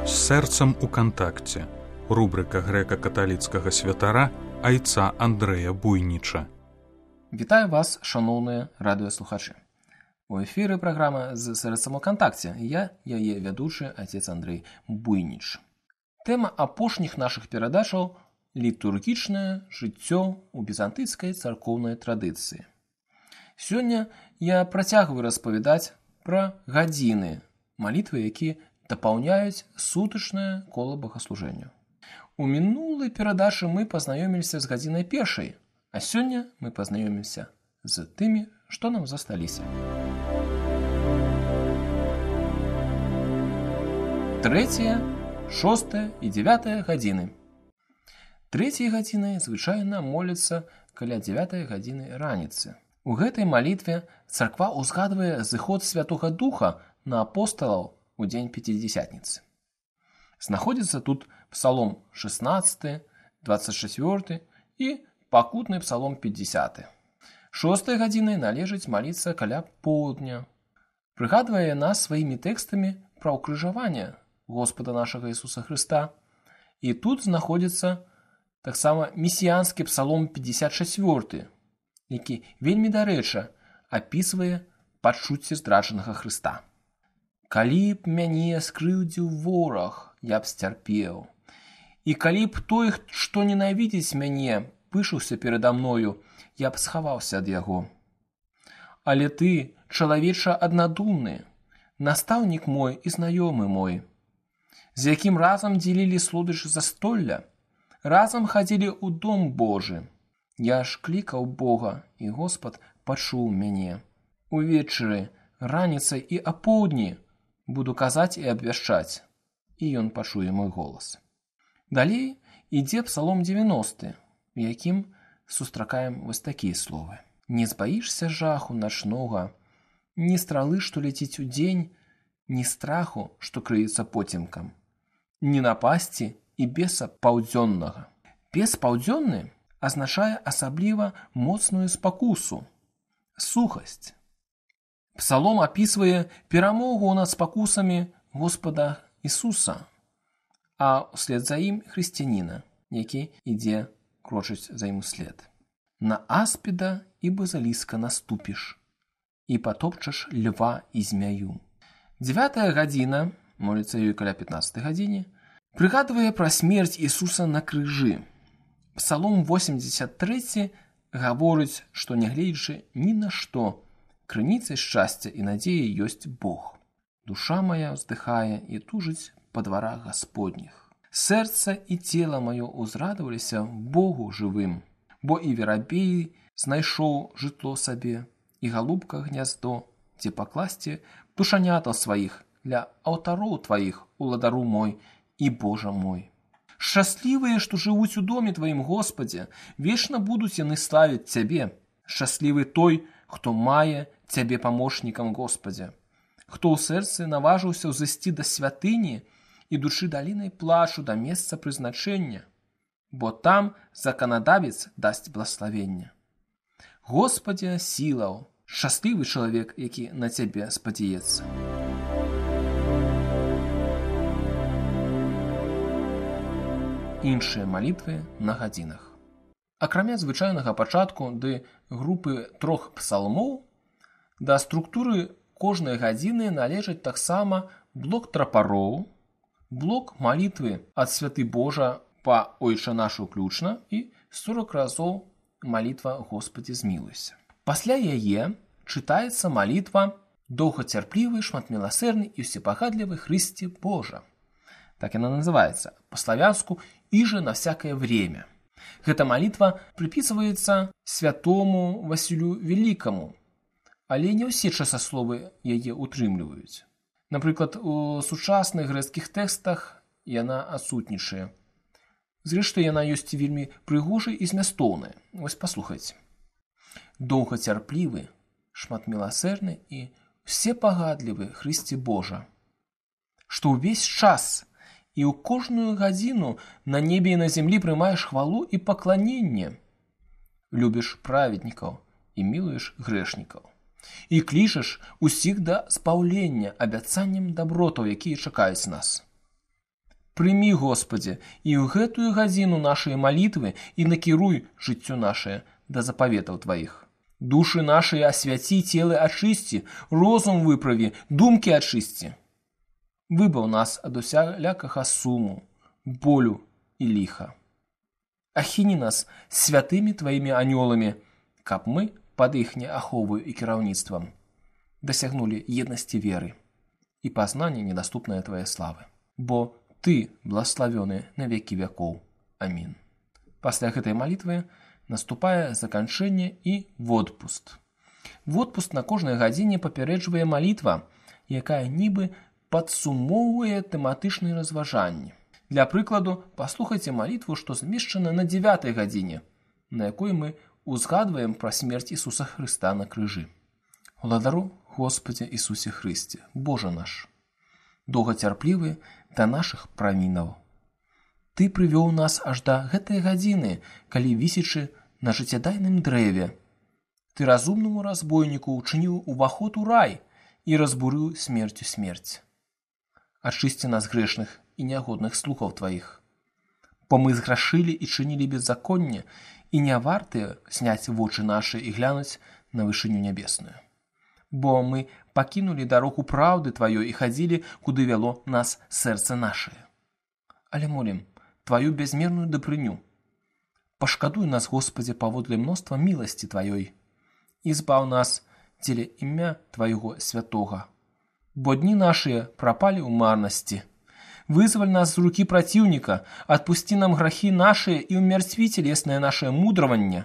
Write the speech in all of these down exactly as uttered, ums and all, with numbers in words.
З сэрцам у кантакце. Рубрика грэка-каталіцкага святара айца Андрэя Буйніча. Вітаю вас, шаноўныя радыёслухачы. У эфіры праграма «З сэрцам у кантакце». Я, яе вядучы, отец Андрэй Буйніч. Тэма апошніх нашых перадачаў – літургічнае жыццё ў візантыйскай царкоўнай традыцыі. Сёння я працягваю распавядаць пра гадзіны, малітвы, якія дапаўняюць сутачнае кола богаслужэння. У мінулай перадачы мы пазнаёміліся з гадзінай першай, а сёння мы пазнаёмімся з тымі, што нам засталіся. Трэцяя, шостая і дзявятая гадзіны. Трэцяй гадзінай звычайна моляцца каля дзявятай гадзіны раніцы. У гэтай малітве царква ўзгадвае зыход Святога Духа на апосталаў у дзень Пяцідзясятніцы. Знаходзіцца тут псалом шэснаццаты, дваццаць чацвёрты і пакутны псалом пятьдесяты. Шостай гадзінай належыць маліцца каля поўдня. Прыгадвае нас сваімі тэкстамі пра ўкрыжаванне Господа нашага Ісуса Хрыста. І тут знаходзіцца таксама месіянскі псалом пятьдесят чацвёрты, які вельмі дарэчы апісвае пачуцці здраджанага Хрыста. «Калі б мяне скрыўдзіў вораг, я б сцярпеў. І калі б той, што ненавідзіць мяне, пышаўся перада мною, я б схаваўся ад яго. Але ты, чалавеча аднадумны, настаўнік мой і знаёмы мой, з якім разам дзелілі слодыч застолля, разам хадзілі ў дом Божы. Я ж клікаў Бога, і Господ пачуў мяне. Увечары, раніцай і апоўдні буду казаць і абвяшчаць, і ён пачуе мой голас». Далей ідзе псалом дзевяносты, у якім сустракаем вось такія словы. «Не збаішся жаху начнога, ні стралы, што ляціць удзень, ні страху, што крыецца поцемкам, ні напасці і беса паўдзённага». Бес паўдзённы азначае асабліва моцную спакусу, сухасць. Псалом апісвае перамогу над спакусамі Господа Ісуса, а ўслед за ім хрысціяніна, які ідзе крочыць за ім услед. «На аспіда і базаліска наступіш, і патопчаш льва і змяю». Дзявятая гадзіна, моліцца ёй каля пятнаццатай гадзіне, прыгадвае пра смерць Ісуса на крыжы. Псалом восемьдесят трэці гаворыць, што нягледзячы ні на што, крыніцай шчасця і надзеі ёсць Бог. «Душа моя ўздыхае і тужыць па дварах Гасподніх. Сэрца і цела маё ўзрадаваліся Богу жывым, бо і верабей знайшоў жытло сабе, і галубка гняздо, дзе пакласці птушанятаў сваіх ля алтароў тваіх, уладару мой і Божа мой. Шчаслівыя, што жывуць у доме тваім, Господзе, вечна будуць яны славіць цябе. Шчаслівы той, хто мае цябе памочнікам, Господзе, хто ў сэрцы наважыўся ўзысці да святыні, ідучы далінай плачу да месца прызначэння, бо там заканадавец дасць блаславенне. Господзе сілаў, шчаслівы чалавек, які на цябе спадзяецца». Іншыя малітвы на гадзінах. Акрамя звычайнага пачатку ды групы трох псалмоў, да структуры кожнай гадзіны належаць таксама блок трапароў, блок малітвы ад святы Божа па Ойча наш уключна і сорок разоў малітва Господі змілуйся. Пасля яе чытаецца малітва «Доўгацярплівы, шматміласэрны і ўсепагадлівы Хрысце Божа». Так яна называецца, па-славянску «Іже на всякое время». Гэта малітва прыпісваецца святому Васілю Велікаму, але не ўсе часасловы яе ўтрымліваюць. Напрыклад, у сучасных грэцкіх тэкстах яна адсутнічае. Зрэшты, яна ёсць вельмі прыгожай і змястоўная. Вось паслухайце. «Доўгацярплівы, шматміласэрны і ўсепагадлівы Хрысце Божа, што ўвесь час і ў кожную гадзіну на небе і на зямлі прымаеш хвалу і пакланенне. Любіш праведнікаў і мілуеш грэшнікаў. І клічаш усіх да спаўлення абяцаннем дабротаў, якія чакаюць нас. Прымі, Господзе, і ў гэтую гадзіну нашыя малітвы і накіруй жыццё нашае да запаветаў Тваіх. Душы нашыя асвяці, целы ачысці, розум выправі, думкі ачысці. Выбаў нас ад усялякага суму, болю і ліха. Ахіні нас святымі Тваімі анёламі, каб мы пад іхняй аховаю і кіраўніцтвам дасягнулі еднасці веры і пазнання недаступнае Твае славы. Бо Ты благословёны на векі вякоў. Амін. Пасля гэтай малітвы наступае заканчэнне і водпуст. Водпуст на кожнай гадзіне папярэджвае малітва, якая нібы падсумоўвае тэматычныя разважанні. Для прыкладу, паслухайце малітву, што змешчана на дзявятай гадзіне, на якой мы узгадваем пра смерць Ісуса Хрыста на крыжы. Уладару, Господзе Ісусе Хрысце, Божа наш, доўгацярплівы да нашых правінаў. Ты прывёў нас аж да гэтай гадзіны, калі вісячы на жыццядайным дрэве. Ты разумнаму разбойніку ўчыніў уваход у рай і разбурыў смерцю смерць. Ачысці нас грэшных і нягодных слухаў Тваіх. Бо мы зграшылі і чынілі беззаконне, і не вартыя зняць вочы нашы і глянуць на вышыню нябесную. Бо мы пакінулі дарогу праўды Тваёй і хадзілі, куды вяло нас сэрца нашае. Але молім Тваю бязмерную дабрыню. Пашкадуй нас, Господзе, паводле мноства міласці Тваёй і збаў нас дзеля імя Твайго святога. Бо дні нашыя прапалі ў марнасці. Вызваль нас з рукі праціўніка, адпусці нам грахі нашыя і ўмерцві целеснае нашае мудраванне,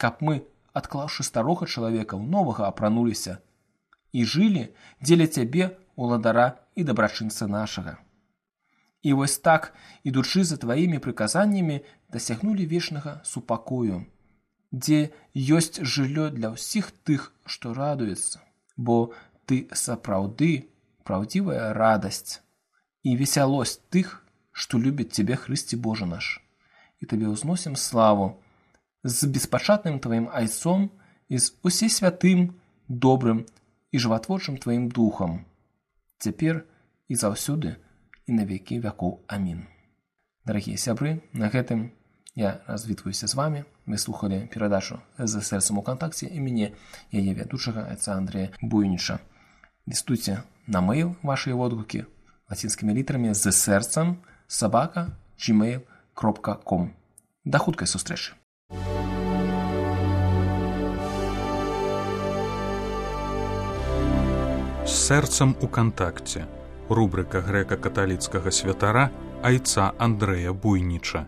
каб мы, адклаўшы старога чалавека, ў новага апрануліся і жылі дзеля Цябе, уладара і дабрачынца нашага. І вось так, ідучы за Тваімі прыказаннямі, дасягнулі вечнага супакою, дзе ёсць жыллё для ўсіх тых, што радуецца, бо Ты сапраўды праўдзівая радасць і весялосць тых, што любяць Цябе, Хрысце Божа наш. І Табе ўзносім славу з беспачатным Тваім Айцом і з усе святым, добрым і жыватворчым Тваім Духам, цяпер і заўсёды і на векі вякоў. Амін. Дарагія сябры, на гэтым я развітваюся з вамі. Вы слухалі перадачу «За сэрцам у кантакце» і мяне, яе вядучага, айца Андрэя Буйніча. Лістуйце на мэйл вашыя водгукі лацінскімі літарамі «За сэрцам» сабака джимейл кропка ком. Да хуткай сустрэчы. З сэрцам у кантакце. Рубрика грэка-каталіцкага святара айца Андрэя Буйніча.